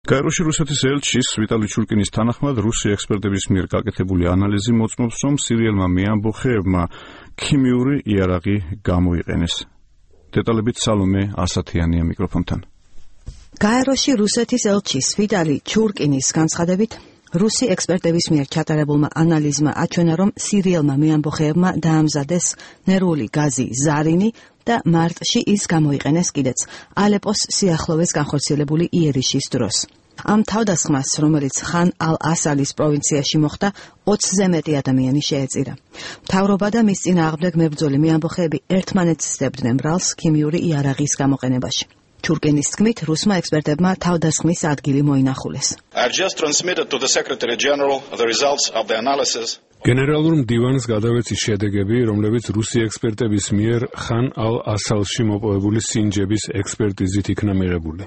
გაეროში რუსეთის ელჩის ვიტალი ჩურკინის თანახმად რუსი ექსპერტების მიერ გაკეთებული ანალიზი მოწმობს, რომ სირიელმა მეამბოხეებმა ქიმიური იარაღი გამოიყენეს. დეტალებით სალომე ასათიანია მიკროფონთან. გაეროში რუსეთის ელჩის ვიტალი ჩურკინის განცხადებით, რუსი ექსპერტების მიერ ჩატარებულმა ანალიზმა აჩვენა, რომ სირიელმა მეამბოხეებმა დაამზადეს ნერვული გაზი ზარინი და მარტში ის გამოიყენეს კიდეც ალეპოს სიახლოვეს განხორციელებული იერიშის დროს. ამ თავდასხმას, რომელიც ხან ალ-ასალის პროვინციაში მოხდა, 20-ზე მეტი ადამიანი შეეწირა. მთავრობა და მის წინააღმდეგ მებრძოლი მეამბოხეები ერთმანეთს სდებდნენ ბრალს ქიმიური იარაღის გამოყენებაში. ჩურკინის თქმით, რუსმა ექსპერტებმა თავდასხმის ადგილი მოინახულეს. გენერალურ მდივანს გადავეცი შედეგები, რომლებიც რუსი ექსპერტების მიერ ხან ალ-ასალში მოპოვებული სინჯების ექსპერტიზით იქნა მიღებული.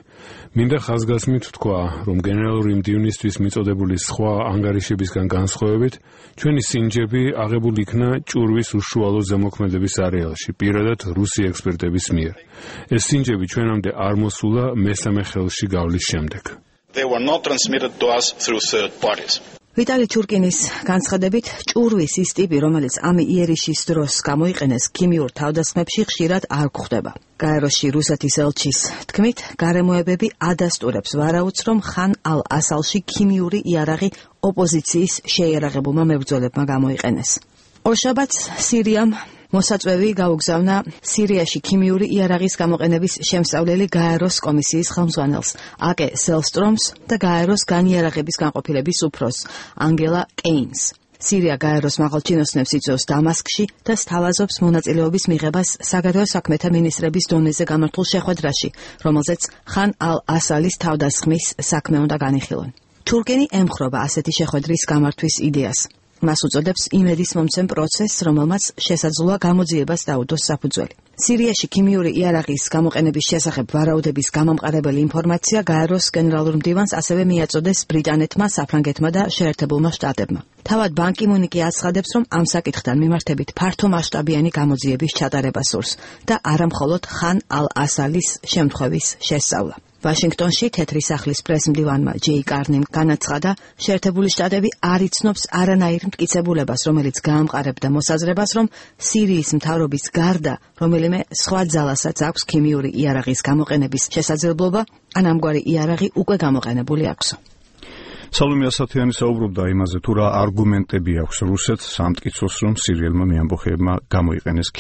მინდა ხაზგასმით ვთქვა, რომ გენერალური მდივნისთვის მიწოდებული სხვა ანგარიშებისგან განსხვავებით, ჩვენი სინჯები აღებული იქნა ჭურვის უშუალო ზემოქმედების არეალში, პირადად რუსი ექსპერტების მიერ. ეს სინჯები ჩვენამდე არ მოსულა მესამე ხელში გავლის შემდეგ. ვიტალი ჩურკინის განცხადებით, ჭურვის ის ტიპი, რომელიც ამ იერიშის დროს გამოიყენეს ქიმიურ თავდასხმებში, ხშირად არ გვხვდება. გაეროში რუსეთის ელჩის თქმით, გარემოებები ადასტურებს ვარაუდს, რომ ხან ალ-ასალში ქიმიური იარაღი ოპოზიციის შეიარაღებულმა მებრძოლებმა გამოიყენეს. ორშაბათს სირიამ მოსაწვევი გაუგზავნა სირიაში ქიმიური იარაღის გამოყენების შემსწავლელი გაეროს კომისიის ხელმძღვანელს აკე სელსტრომს და გაეროს განიარაღების განყოფილების უფროსს ანგელა კეინს. სირია გაეროს მაღალჩინოსნებს იწვევს დამასკში და სთავაზობს მონაწილეობის მიღებას საგარეო საქმეთა მინისტრების დონეზე გამართულ შეხვედრაში, რომელზეც ხან ალ-ასალის თავდასხმის საქმე უნდა განიხილონ. ჩურკინი ემხრობა ასეთი შეხვედრის გამართვის იდეას. მას უწოდებს იმედის მომცემ პროცესს, რომელმაც შესაძლოა გამოძიებას დაუდოს საფუძველი. სირიაში ქიმიური იარაღის გამოყენების შესახებ ვარაუდების გამამყარებელი ინფორმაცია გაეროს გენერალურ მდივანს ასევე მიაწოდეს ბრიტანეთმა, საფრანგეთმა და შეერთებულმა შტატებმა. თავად ბან კი მუნი კი აცხადებს, რომ ამ საკითხთან მიმართებით ფართო მასშტაბიანი გამოძიების ჩატარება სურს და არა მხოლოდ ხან ალ-ასალის შემთხვევის შესწავლა. ვაშინგტონში თეთრი სახლის პრესმდივანმა ჯეი კარნიმ განაცხადა, შეერთებული შტატები არ იცნობს არანაირ მტკიცებულებას, რომელიც გაამყარებდა მოსაზრებას, რომ სირიის მთავრობის გარდა რომელიმე სხვა ძალასაც აქვს ქიმიური იარაღის გამოყენების შესაძლებლობა, ან ამგვარი იარაღი უკვე გამოყენებული აქვს. სალომე ასათიანი საუბრობდა იმაზე, თუ რა არგუმენტები აქვს რუსეთს სამტკიცოს, რომ სირიელმა მეამბოხეებმა გამოიყენეს